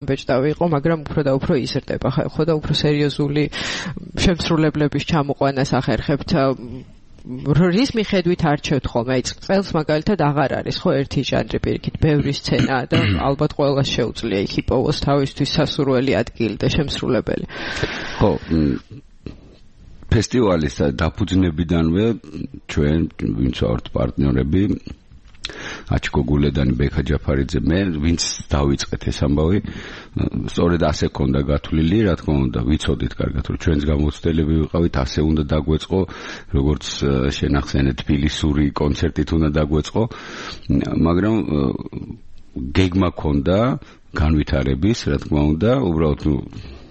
ბეჭდავი იყო, მაგრამ უფრო და უფრო იზრდება, ხო და უფრო სერიოზული შემსრულებლების ჩამოყვანას ახერხებთ. რის მიხედვით არჩევთ ხოლმე? აი წელს მაგალითად აღარ არის ხო ერთი ჟანრი პირიქით, ბევრი სცენაა და ალბათ ყველას შეუძლია იქ იპოვოს თავისთვის სასურველი ადგილი და შემსრულებელი. ხო, ფესტივალის დაფუძნებიდანვე ჩვენ ვინც ვართ პარტნიორები აჩკო გულედანი, ბექა ჯაფარიძე, მე ვინც დავიწყეთ ეს ამბავი, სწორედ ასე ქონდა გათვლილი, რა თქმა უნდა, ვიცოდით კარგად, რომ ჩვენს გამოცდილები ვიყავით, ასე უნდა დაგვეწყო, როგორც შენახსენეთ თბილისური კონცერტით უნდა დაგვეწყო, მაგრამ გეგმა ქონდა განვითარების, რა თქმა უნდა, უბრალოდ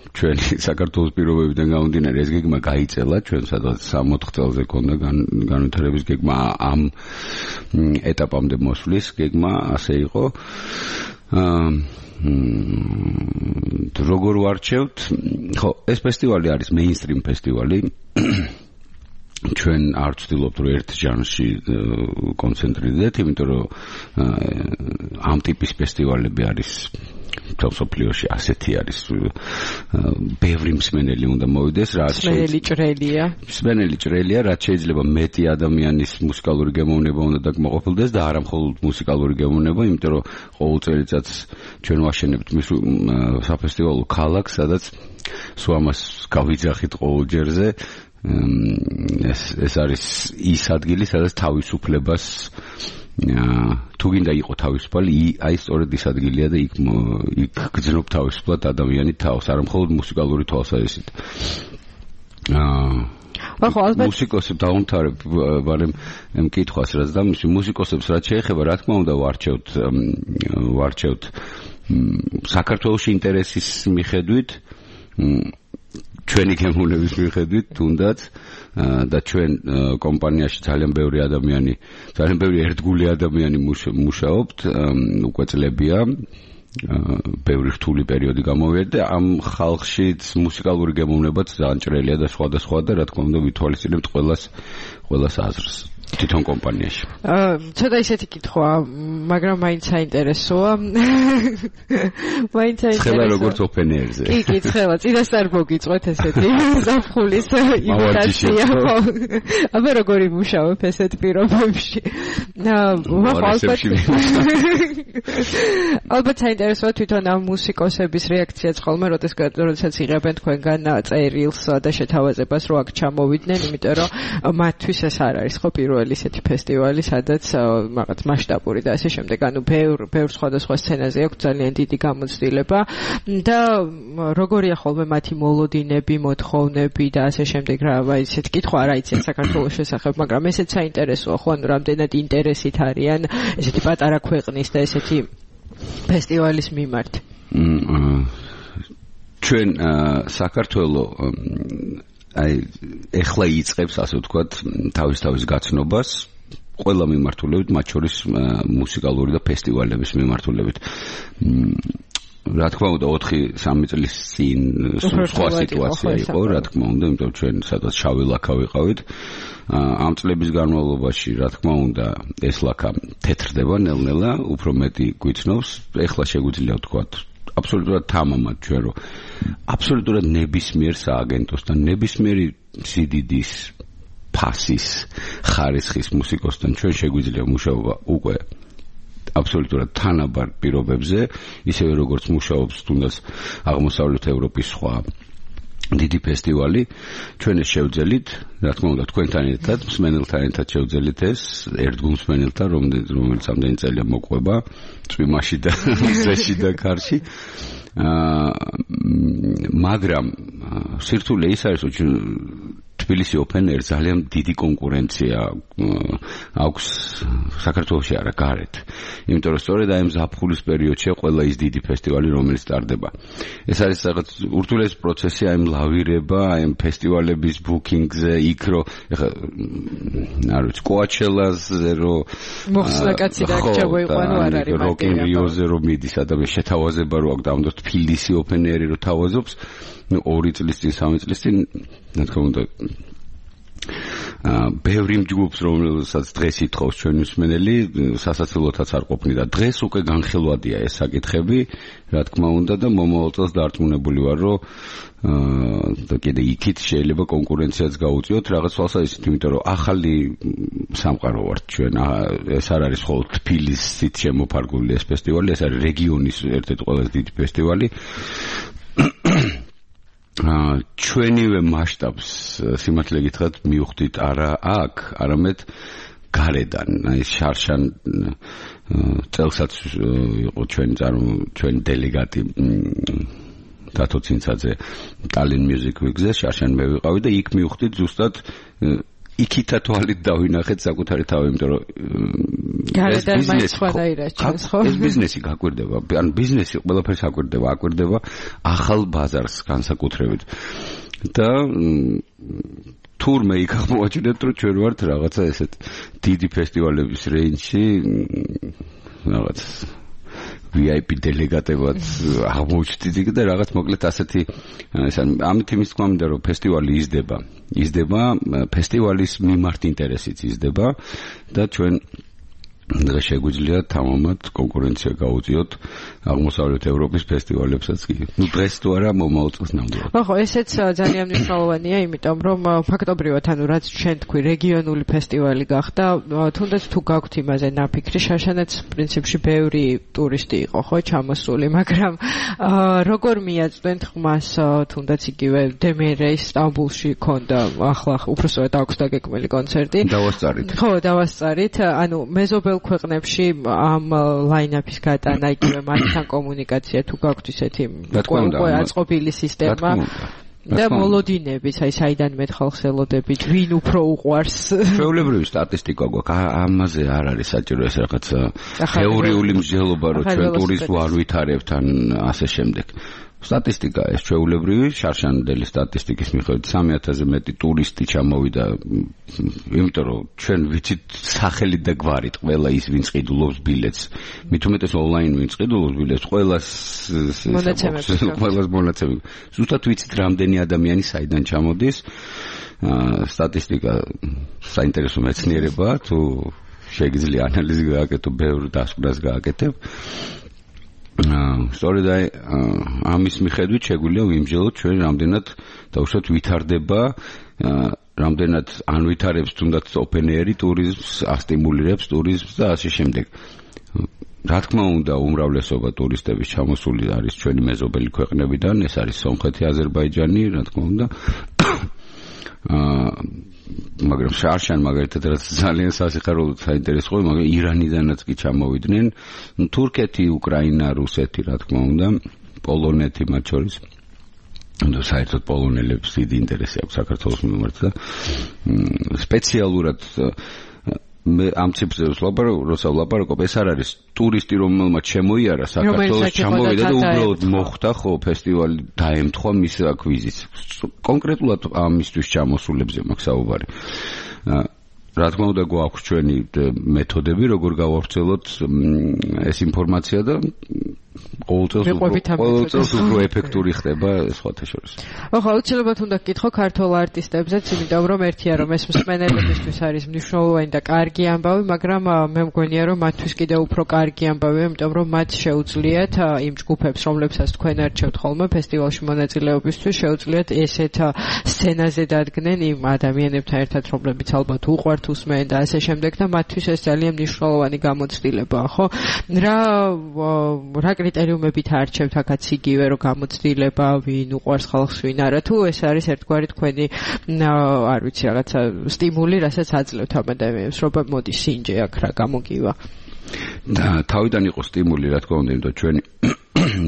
ჩვენი საქართველოს პირობებიდან გამომდინარე ეს გეგმა გაიწელა, ჩვენ სადღაც 60 წელზე ქონდა განვითარების გეგმა, ამ ეტაპამდე მოსვლის გეგმა ასე იყო. როგორ ვარჩევთ? ხო, ეს ფესტივალი არის მეინსტრიმ ფესტივალი. ჩვენ არ ვცდილობთ რომ ერთ ჟანრში კონცენტრირდეთ, იმიტომ რომ ამ ტიპის ფესტივალები არის მსოფლიოში ასეთი არის, ბევრი მსმენელი უნდა მოვიდეს, რაც მსმენელი ჭრელია, რაც შეიძლება მეტი ადამიანის მუსიკალური გემოვნება უნდა დაკმაყოფილდეს და არა მხოლოდ მუსიკალური გემოვნება, იმიტომ რომ ყოველ წელიწადს ჩვენ ვაშენებთ საფესტივალო ქალაქს, სადაც სულ ამას გავიძახით ყოველ ჯერზე. ეს არის ის ადგილი, სადაც თავისუფლებას თუ გინდა იყო თავისუფალი, აი სწორედ ის ადგილია და იქ გძნობ თავისუფლად ადამიანი თავს, არა მხოლოდ მუსიკალური თვალსაზრისით. მუსიკოსებს დავუმთავრებ ბარემ მკითხვას, რაც და მუსიკოსებს რაც შეეხება, რა თქმა უნდა ვარჩევთ საქართველოში ინტერესის მიხედვით, ჩვენი გემოვნების მიხედვით თუნდაც და ჩვენ კომპანიაში ძალიან ბევრი ერთგული ადამიანი მუშაობთ, უკვე წლებია, ბევრი რთული პერიოდი გამოვიარდა, ამ ხალხში მუსიკალური გემოვნებაც ძალიან ჭრელია და სხვადასხვა და რა თქმა უნდა ვითვალისწინებთ ყველას აზრს თვითონ კომპანიაში. ცოტა ისეთი კითხვა, მაგრამ მაინც საინტერესოა. ცხელა როგორც ოპენერზე. კი, ცხელა, წინასწარ მოგიწყვეთ ესეთი ზაფხულის იმიტაცია. აბა როგორი მუშაობ ესეთ პირობებში? ალბათ საინტერესოა თვითონ ამ მუსიკოსების რეაქციაც ხოლმე, როდესაც იღებენ თქვენგან წერილს და შეთავაზებას, რომ აქ ჩამოვიდნენ, იმიტომ რომ მათთვის ეს არ არის ხო პირველი ისეთი ფესტივალი, სადაც რაღაც მასშტაბური და ასე შემდეგ, ანუ ბევრ სხვადასხვა სცენაზე აქვს ძალიან დიდი გამოცდილება და როგორია ხოლმე მათი მოლოდინები, მოთხოვნები და ასე შემდეგ, რა, აი ესეთ კითხვა არ აიციან საქართველოს შესახებ, მაგრამ ესეც საინტერესოა, ხო, ანუ რამდენად ინტერესით არიან ესეთი პატარა ქვეყნის და ესეთი ფესტივალის მიმართ. ჩვენ საქართველო აი ეხლა იწყებს ასე ვთქვათ თავის გაცნობას ყველა მიმართულებით, მათ შორის მუსიკალური და ფესტივალების მიმართულებით. რა თქმა უნდა 4-3 წლის წინ სხვა სიტუაცია იყო, რა თქმა უნდა, იმიტომ ჩვენ სადაც შავი ლაქა ვიყავით. ამ წლების განმავლობაში, რა თქმა უნდა, ეს ლაქა თეთრდება ნელ-ნელა, უფრო მეტი გვიცნობს. ეხლა შეგვიძლია ვთქვათ აბსოლუტურად თამამად ჩვენ რომ აბსოლუტურად ნებისმიერ სააგენტოს და ნებისმიერი სიდიდის ფასის ხარისხის მუსიკოსთან ჩვენ შეგვიძლია მუშაობა უკვე აბსოლუტურად თანაბარ პირობებზე, ისევე როგორც მუშაობს თუნდაც აღმოსავლეთ ევროპის სხვა დიდი ფესტივალი, ჩვენ ეს შევძელით, რა თქმა უნდა, თქვენთან ერთად, მსმენელთან ერთად შევძელით ეს, ერთგულ მსმენელთან, რომელიც ამდენი წელია მოყვება, წვიმაში და ზეში და კარში. მაგრამ სირთულე ის არის, რომ თბილისი ოპენ ეირ ძალიან დიდი კონკურენცია აქვს საქართველოში არა გარეთ. იმიტომ რომ სწორედ აი ამ ზაფხულის პერიოდშია ყველა ის დიდი ფესტივალი, რომელიც ტარდება. ეს არის რაღაც ურთულეს პროცესი, აი ლავირება, აი ფესტივალების ბუკინგზე, იქ რო ეხა არ ვიცი, კოაჩელაზე რო მოხსნაკაცი და ჩავიყვანო არ არის მაგალითად. როკ ინ რიოზე რო მიდის ადამიანს შეთავაზება რო აქვს და ამიტომ თბილისი ოპენ ეირი რო თავაზობს, 2 წლის წინ, 3 წლის წინ, რა თქმა უნდა ბევრი ჯგუფს რომელსაც დღეს ითხოვს ჩვენი მსმენელი სასაცილოთაც არ ყოფნი და დღეს უკვე განხილვადია ეს საკითხები რა თქმა უნდა და მომავალ წელს დარწმუნებული ვარ რომ და კიდე იქით შეიძლება კონკურენციაც გაუწიოთ რაღაც თვალსაზრისით იმიტომ რომ ახალი სამყარო ვართ ჩვენ ეს არ არის მხოლოდ თბილისით შემოფარგლული ეს ფესტივალი ეს არის რეგიონის ერთ-ერთი ყველაზე დიდი ფესტივალი ჩვენივე მასშტაბს სიმართლე გითხრათ მივხვდით არა აქ არამედ გარედან აი შარშან წელსაც იყო ჩვენი დელეგატი დათო ცინცაძე ტალინ მიუზიკ ვიგზე შარშან მე ვიყავი და იქ მივხვდით ზუსტად იქითა თვალით დავინახეთ საკუთარი თავი იმიტომ რომ გარედან მაინც სხვადასხვა ჩანს ხო ეს ბიზნესი გაკვირდება ან ბიზნესი ყველაფერს აკვირდება ახალ ბაზარს განსაკუთრებით და თურმე იქ აღმოაჩინეთ რომ ჩვენ ვართ რაღაცა ესეთ დიდი ფესტივალების რეინჯში რაღაც VIP დელეგატებად აღმოჩნდით და რაღაც მოკლედ ასეთი ამით იმის თქმა მინდა რომ ფესტივალი იზრდება ფესტივალის მიმართ ინტერესიც იზრდება და ჩვენ დღეს შეგვიძლია თამამად კონკურენცია გაუწიოთ აღმოსავლეთ ევროპის ფესტივალებსაც კი. ნუ დღეს თუ არა მომავალ წელს ნამდვილად. ხო, ესეც ძალიან მნიშვნელოვანია, იმიტომ რომ ფაქტობრივად ანუ რაც ჩვენ თქვი რეგიონული ფესტივალი გახდა, თუნდაც თუ გაქვთ იმაზე ნაფიქრი, შაშანაც პრინციპში ბევრი ტურისტი იყო, ხო, ჩამოსული, მაგრამ როგორ მიაწვდენთ ხმას თუნდაც იგივე დემერეის სტამბულში ქონდა ახლა უბრალოდ აქვს დაგეკმელი კონცერტი. დავასწარით. ხო, დავასწარით. ანუ მეზობელ ქვეყნებში ამ ლაინაპის გატანა იგივე მათთან კომუნიკაცია თუ გაქვთ ისეთი უკვე აწყობილი სისტემა და მოლოდინების აი საიდან მე ხალხს ელოდებით ვინ უფრო უყვარს ჩვეულებრივი სტატისტიკა გვაქვს ამაზე არ არის საჭირო ეს რაღაც თეორიული მსჯელობა რომ ჩვენ ტურისტს არ ვითარებთ ან ასე შემდეგ სტატისტიკა ეს ჩვეულებრივი შარშანდელი სტატისტიკის მიხედვით 3000-ზე მეტი ტურისტი ჩამოვიდა იმიტომ რომ ჩვენ ვიცით სახელით და გვარით ყველა ის ვინც ყიდულობს ბილეთს მით უმეტეს ონლაინ ვინც ყიდულობს ბილეთს ყველას მონაცემები ზუსტად ვიცით რამდენი ადამიანი საიდან ჩამოდის სტატისტიკა საინტერესო მეცნიერებაა თუ შეგიძლია ანალიზი გააკეთო ბევრ დასკვნას გააკეთებ სწორედ აი ამის მიხედვით შეგვიძლია ვიმსჯელოთ ჩვენ რამდენად დაუშვათ ვითარდება რამდენად ან ვითარებს თუნდაც open air ტურიზმს ასტიმულირებს ტურიზმს და ასე შემდეგ რა თქმა უნდა უმრავლესობა ტურისტების ჩამოსული არის ჩვენი მეზობელი ქვეყნებიდან ეს არის სომხეთი აზერბაიჯანი რა თქმა უნდა მაგრამ შარშან მაგალითად რაც ძალიან სასიხარულო საინტერესო იყო მაგრამ ირანიდანაც კი ჩამოვიდნენ თურქეთი, უკრაინა, რუსეთი რა თქმა უნდა პოლონეთი მათ შორის და საერთოდ პოლონელებს დიდი ინტერესი აქვს საქართველოს მიმართ და სპეციალურად მე ამ ციფრებს როცა ვლაპარაკობ ეს არ არის ტურისტი რომელმაც შემოიარა საქართველოს ჩამოვიდა და უბრალოდ მოხვდა ხო ფესტივალი დაემთხვა მის ვიზიტს კონკრეტულად ამისთვის ჩამოსულებზე მაქვს საუბარი რა თქმა უნდა გვაქვს ჩვენი მეთოდები როგორ გავავრცელოთ ეს ინფორმაცია და ყოველწელს უფრო ეფექტური ხდება სხვათა შორის. ხო, აუცილებლად უნდა გკითხო ქართულ არტისტებზეც, იმიტომ რომ ერთია რომ ეს მსმენელებისთვის არის მნიშვნელოვანი და კარგი ამბავი, მაგრამ მე მგონია რომ მათთვის კიდევ უფრო კარგი ამბავია, იმიტომ რომ მათ შეუძლიათ იმ ჯგუფებს, რომლებსაც თქვენ არჩევთ ხოლმე ფესტივალში მონაწილეობისთვის, შეუძლიათ ესეთ სცენაზე დადგნენ იმ ადამიანებთან ერთად, რომლებიც ალბათ უყვართ უსმენ და ასე შემდეგ და მათთვის ეს ძალიან მნიშვნელოვანი გამოცდილებაა, ხო? რა კრიტერიუმებით არჩევთ აქაც იგივე რომ გამოცდილება ვინ უყვარს ხალხს ვინ არა თუ ეს არის ერთგვარი თქვენი არ ვიცი რაღაცა სტიმული რასაც აძლევთ ამ ადამიანებს რომ მოდი სინჯე აქ რა გამოგივა და თავიდან იყო სტიმული რა თქმა უნდა იმიტომ ჩვენი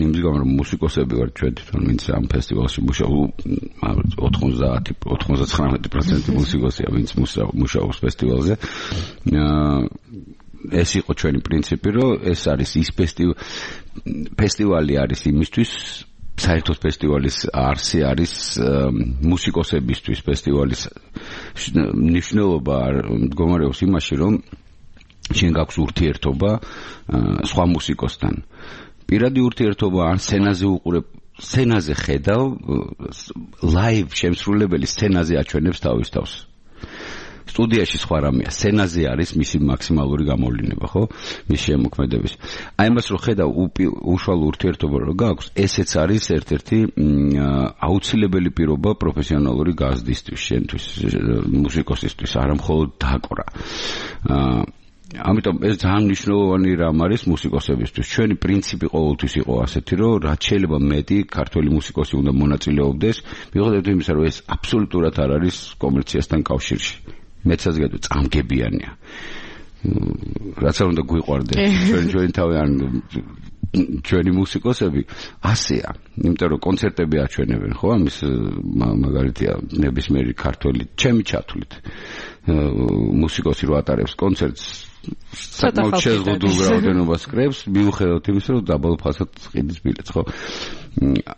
იმის გამო რომ მუსიკოსები ვართ ჩვენ თვითონ ვინც ამ ფესტივალში მუშაობ 99% მუსიკოსია ვინც მუშაობს ფესტივალზე ეს იყო ჩვენი პრინციპი რომ ეს არის ის ფესტივალი არის იმისთვის საერთოდ ფესტივალის არსი არის მუსიკოსებისთვის ფესტივალის მნიშვნელობა მდგომარეობს იმაში რომ შენ გაქვს ურთიერთობა სხვა მუსიკოსთან პირადი ურთიერთობა ან სცენაზე უყურებ სცენაზე ხედავ ლაივ შემსრულებელი სცენაზე აჩვენებს თავის თავს სტუდიაში სხვა რამეა, სცენაზე არის მისი მაქსიმალური გამოვლინება, ხო? მის შემოქმედების. აი მას რო ხედავ უშუალო ურთიერთობა რო გაქვს, ესეც არის ერთ-ერთი აუცილებელი პირობა პროფესიონალური გაზრდისთვის, შენთვის, მუსიკოსისთვის, არა მხოლოდ დაკვრა. ამიტომ ეს ძალიან მნიშვნელოვანი რამ არის მუსიკოსებისთვის. ჩვენი პრინციპი ყოველთვის იყო ასეთი, რომ რაც შეიძლება მეტი ქართველი მუსიკოსი უნდა მონაწილეობდეს, მიუხედავად იმისა, რომ ეს აბსოლუტურად არ არის კომერციასთან კავშირში. მეცაც გადო წამგებიანია. რაც არ უნდა გვიყვარდეს ჩვენი თავი ან ჩვენი მუსიკოსები ასეა, იმიტომ რომ კონცერტები აჩვენებენ, ხო, ამის მაგალითია ნებისმიერი ქართველი ჩემი ჩათვლით მუსიკოსი რო ატარებს კონცერტს საკმაოდ შეზღუდულ რაოდენობას კრებს, მიუხედავად იმისა, რომ დაბალ ფასად ყიდის ბილეთს, ხო?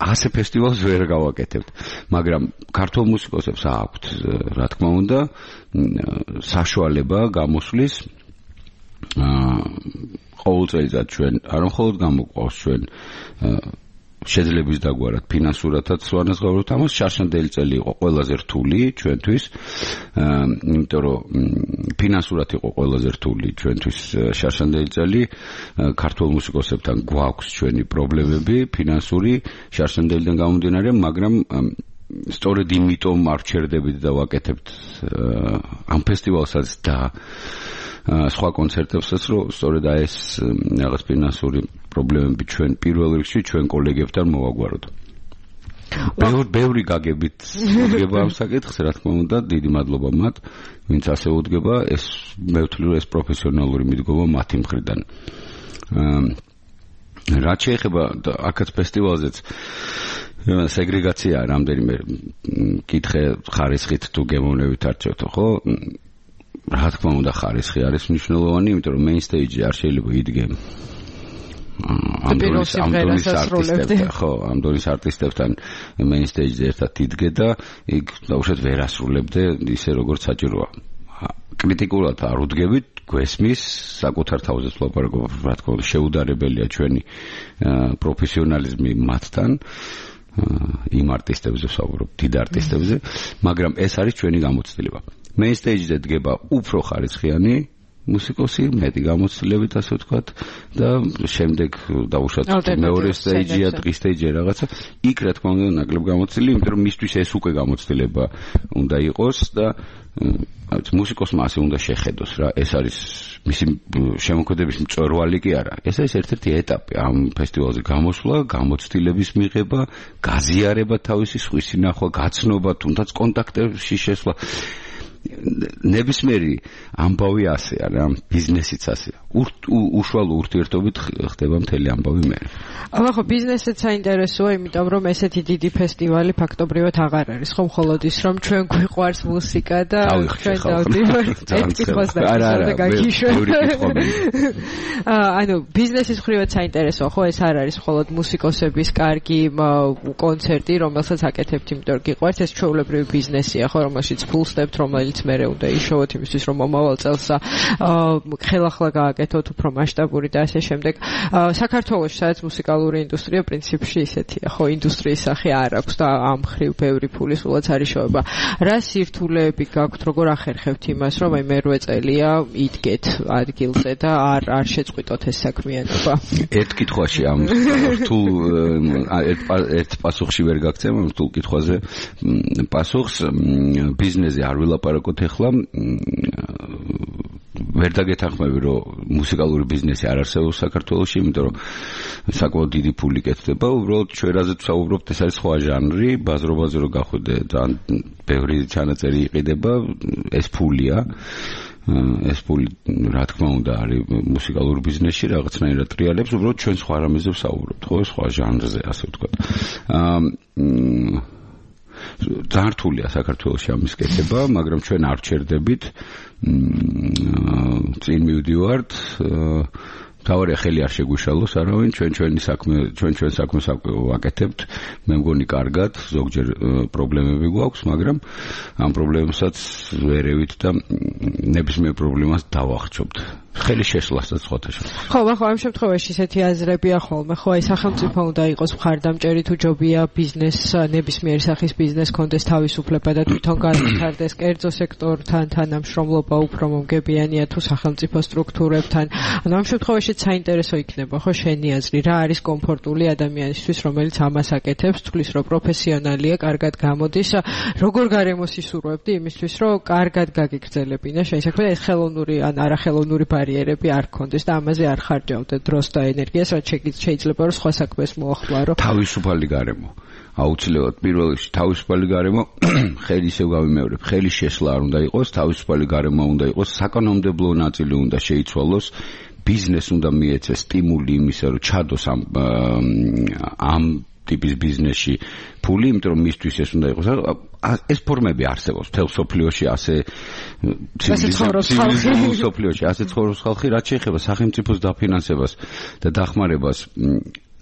ასე ფესტივალს ვერ გავაკეთებთ, მაგრამ ქართულ მუსიკოსებს აქვთ, რა თქმა უნდა, საშუალება გამოსვლის ყოველწლიურად ჩვენ არ მხოლოდ გამოგვყავს ჩვენ შეძლების დაგვარად ფინანსურათაც ვანაზღაურებთ ამას. შარშანდელი წელი იყო ყველაზე რთული ჩვენთვის, იმიტომ რომ ფინანსურად იყო ყველაზე რთული ჩვენთვის შარშანდელი წელი. ქართულ მუსიკოსებთან გვაქვს ჩვენი პრობლემები ფინანსური შარშანდელიდან გამომდინარე, მაგრამ სწორედ იმიტომ არ ვჩერდებით და ვაკეთებთ ამ ფესტივალსაც და სხვა კონცერტებსაც, რომ სწორედ ეს რაღაც ფინანსური პრობლემები ჩვენ პირველ რიგში ჩვენ კოლეგებთან მოვაგვაროთ. ბევრი გაგებით უდგება ამ საკითხს, რა თქმა უნდა, დიდი მადლობა მათ, ვინც ასე უდგება, ეს მე ვთვლი, რომ ეს პროფესიონალური მიდგომა მათი მხრიდან. რაც შეეხება აქაც ფესტივალზეც სეგრეგაციაა რამდენიმე კითხე ხარისხით თუ გემოვნებით არჩევთო, ხო? რა თქმა უნდა ხარისხი არის მნიშვნელოვანი, იმიტომ რომ main stage-ი არ შეიძლება იდგე ამ დონის არტისტებთან main stage-ზე ერთად იდგე და იქ დაუშვათ ვერ ასრულებდე ისე როგორც საჭიროა. კრიტიკულად არ უდგებით, გვესმის, საკუთარ თავზეც ვლაპარაკობ, რა თქმა უნდა, შეუდარებელია ჩვენი პროფესიონალიზმი მათთან. იმ არტისტებზე ვსაუბრობ, დიდ არტისტებზე, მაგრამ ეს არის ჩვენი გამოცდილება. main stage-ზე დგება უფრო ხარისხიანი მუსიკოსი, მეტი გამოცდილებით, ასე ვთქვათ, და შემდეგ დაუშვათ მეორე stage-ია, დღის stage-ია რაღაცა. იქ რა თქმა უნდა ნაკლებ გამოცდილი, იმიტომ რომ მისთვის ეს უკვე გამოცდილება უნდა იყოს და მუსიკოსმა ასე უნდა შეხედოს რა, ეს არის მისი შემოქმედების მწვერვალი კი არა. ეს არის ერთ-ერთი ეტაპი ამ ფესტივალზე გამოსვლა, გამოცდილების მიღება, გაზიარება თავისი სხვისი ნახვა, გაცნობა, თუნდაც კონტაქტებში შესვლა. ნებისმიერი ამბავი ასეა რა, ბიზნესიც ასეა. უშუალო ურთიერთობით ხდება მთელი ამბავი მე. აბა ხო ბიზნესიც საინტერესოა, იმიტომ რომ ესეთი დიდი ფესტივალი ფაქტობრივად აღარ არის, ხო, მხოლოდ ის რომ ჩვენ გვიყვარს მუსიკა და ჩვენ დავდივართ ერთ კითხვას და გაგიშვი. ანუ ბიზნესის მხრივაც საინტერესოა, ხო, ეს არ არის მხოლოდ მუსიკოსების კარგი კონცერტი, რომელსაც აკეთებთ, იმიტომ რომ გიყვართ, ეს ჩვეულებრივი ბიზნესია, ხო, რომელშიც ფულსდებთ, რომელიც მერე უნდა იშოვოთ იმისთვის, რომ მომავალ წელს ხელახლა გააკეთოთ უფრო მასშტაბური და ასე შემდეგ. საქართველოში სადაც მუსიკალური ინდუსტრია პრინციპში ისეთია, ხო, ინდუსტრიის სახე არ აქვს და ამ ხრივ ბევრი ფული სულაც არ იშოვება. რა სირთულეები გაქვთ, როგორ ახერხებთ იმას, რომ აი მერვე წელია იდგეთ ადგილზე და არ შეწყვიტოთ ეს საქმიანობა? ერთ კითხვაში ამ რთულ ერთ პასუხში ვერ გაგცემ, ამ რთულ კითხვაზე პასუხს ბიზნესზე არ ვილაპარაკოთ ეხლა. ვერ დაგეთანხმები, რომ მუსიკალური ბიზნესი არ არსებობს საქართველოში, იმიტომ რომ საკმაოდ დიდი ფული კეთდება. უბრალოდ ჩვენ რაზეც ვსაუბრობთ, ეს არის სხვა ჟანრი, ბაზრობაზე რო გახვიდე, ძალიან ბევრი ჩანაწერი იყიდება, ეს ფულია. ეს ფული, რა თქმა უნდა, არის მუსიკალურ ბიზნესში რაღაცნაირად ტრიალებს, უბრალოდ ჩვენ სხვა რამეზე ვსაუბრობთ, ხო, სხვა ჟანრზე, ასე ვთქვათ. ძალიან რთულია საქართველოში ამის კეთება, მაგრამ ჩვენ არ ვჩერდებით. წინ მივდივართ. თავარია ხელი არ შეგვიშალოს არავინ, ჩვენ საქმეს ვაკეთებთ. მე მგონი კარგად, ზოგჯერ პრობლემები გვაქვს, მაგრამ ამ პრობლემასაც ვერევით და ნებისმიერ პრობლემას დავახჩობთ. ხელი შესვლასაც ხოთაშო. ხო, ახლა ამ შემთხვევაში ისეთი აზრებია ხოლმე, ხო, აი სახელმწიფო უნდა იყოს მხარდამჭერი თუ ჯობია ბიზნეს, ნებისმიერი სახის ბიზნეს კონდეს თავისუფლება და თვითონ განვითარდეს კერძო სექტორთან თანამშრომლობა უფრო მომგებიანია თუ სახელმწიფო სტრუქტურებთან. ანუ ამ შემთხვევაში საინტერესო იქნება, ხო, შენი აზრი, რა არის კომფორტული ადამიანისთვის, რომელიც ამას აკეთებს, თulis რომ პროფესიონალია, კარგად გამოდის, როგორ გარემოს ისურვებდი იმისთვის, რომ კარგად გაგიგრძელებინა შენი საქმე, ეს ხელოვნური ან არახელოვნური ბარიერები არ ქონდეს და ამაზე არ ხარჯავდე დროს და ენერგიას, რაც შეიძლება რომ სხვა საქმეს მოახმარო. თავისუფალი გარემო. აუცილებლად პირველ რიგში თავისუფალი გარემო, ხელი ისევ გავიმეორებ, ხელი შესვლა არ უნდა იყოს, თავისუფალი გარემო უნდა იყოს, საკანონმდებლო ნაწილი უნდა შეიცვალოს, ბიზნეს უნდა მიეცეს სტიმული იმისა, რომ ჩადოს ამ ტიპის ბიზნესში ფული, იმიტომ რომ მისთვის ეს უნდა იყოს. ეს ფორმები არსებობს მთელ სოფლიოში, ასე ცივილიზებულ სოფლიოში, ასე ცხოვრობს ხალხი, რაც შეეხება სახელმწიფოს დაფინანსებას და დახმარებას.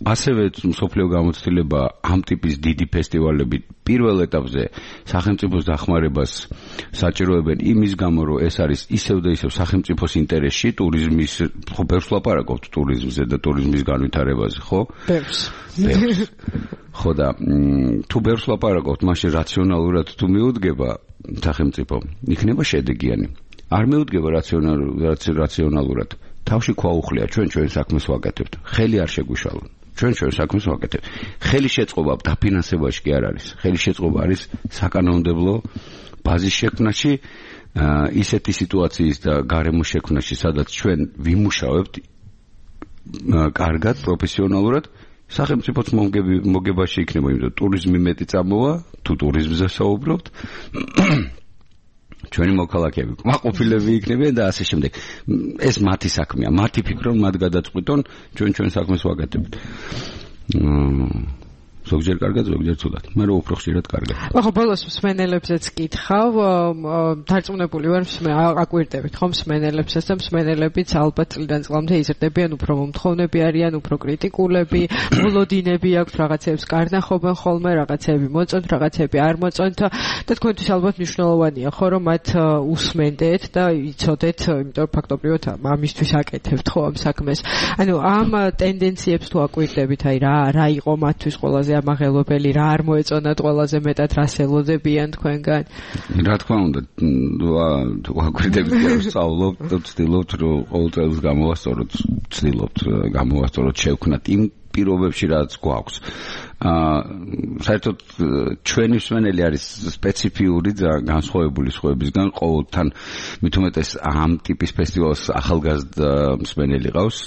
ასევე სოფლიო გამოცდილება ამ ტიპის დიდი ფესტივალები პირველ ეტაპზე სახელმწიფოს დახმარებას საჭიროებენ იმის გამო, რომ ეს არის ისევ და ისევ სახელმწიფოს ინტერესში, ტურიზმის, ხო, ბევრს ლაპარაკობთ ტურიზმზე და ტურიზმის განვითარებაზე, ხო? ბევრს. ხო და თუ ბევრს ლაპარაკობთ, მაშინ რაციონალურად თუ მიუდგება სახელმწიფო, იქნება შედეგიანი. არ მიუდგება რაციონალურად. თავში ქვაუხლია, ჩვენ საქმეს ვაკეთებთ. ხელი არ შეგვიშალონ. ჩვენ საქმეს ვაკეთებთ. ხელი შეწყობა დაფინანსებაში კი არ არის. ხელი შეწყობა არის საკანონმდებლო ბაზის შექმნაში, ისეთი სიტუაციის და გარემოს შექმნაში, სადაც ჩვენ ვიმუშავებთ კარგად, პროფესიონალურად. სახელმწიფოც მოგებაში იქნება, იმიტომ ტურიზმი მეტი წამოვა, თუ ტურიზმზე საუბრობთ. ჩვენი მოქალაქეები, კმაყოფილები იქნებიან და ასე შემდეგ. ეს მათი საქმეა, მათი ფიქრობენ, მათ გადაწყვიტონ, ჩვენ საქმეს ვაკეთებთ. ზოგჯერ კარგად, ზოგჯერ ცუდად. მე რო უფრო ხშირად კარგად. ხო, ბოლოს მსმენელებზეც კითხავ, დარწმუნებული ვარ, აკვირდებით ხომ მსმენელებსაც და მსმენელებიც ალბათ წლიდან წლამდე იზრდებიან, უფრო მომთხოვნები არიან, უფრო კრიტიკულები, მოლოდინები აქვთ, რაღაცებს კარნახობენ ხოლმე, რაღაცები მოწონთ, რაღაცები არ მოწონთ და თქვენთვის ალბათ მნიშვნელოვანია, ხო, რომ მათ უსმენდეთ და იცოდეთ, იმიტომ რომ ფაქტობრივად ამისთვის აკეთებთ ხო ამ საქმეს. ანუ ამ ტენდენციებს თუ აკვირდებით, აი რა იყო მათთვის ყველაზე ამაღელობელი, რა არ მოეწონათ ყველაზე მეტად, რა ელოდებიან თქვენგან? რა თქმა უნდა, თუ აკვირდებით, ვსწავლობთ და ვცდილობთ, რომ ყოველ წელს გამოვასწოროთ შევქნათ იმ პირობებში, რაც გვაქვს. საერთოდ ჩვენი მსმენელი არის სპეციფიური და განსხვავებული სხვებისგან, ყოველთან მით უმეტეს ამ ტიპის ფესტივალს ახალგაზრდა მსმენელი ყავს,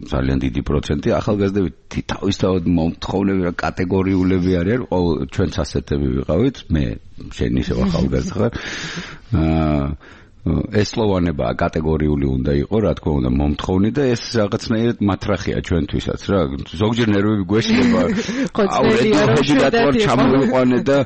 ძალიან დიდი პროცენტი. ახალგაზრდები თავისთავად მომთხოვნები და კატეგორიულები არიან, ჩვენც ასეთები ვიყავით, მე შენ ისევ ახალგაზრდა ხარ. ეს სლოვანება კატეგორიული უნდა იყო, რა თქმა უნდა, მომთხოვნი და ეს რაღაცნაირად მათრახია ჩვენთვისაც რა. ზოგჯერ ნერვები გვეშლება. აუ, რედაქტორ ჩამოვიყვანე და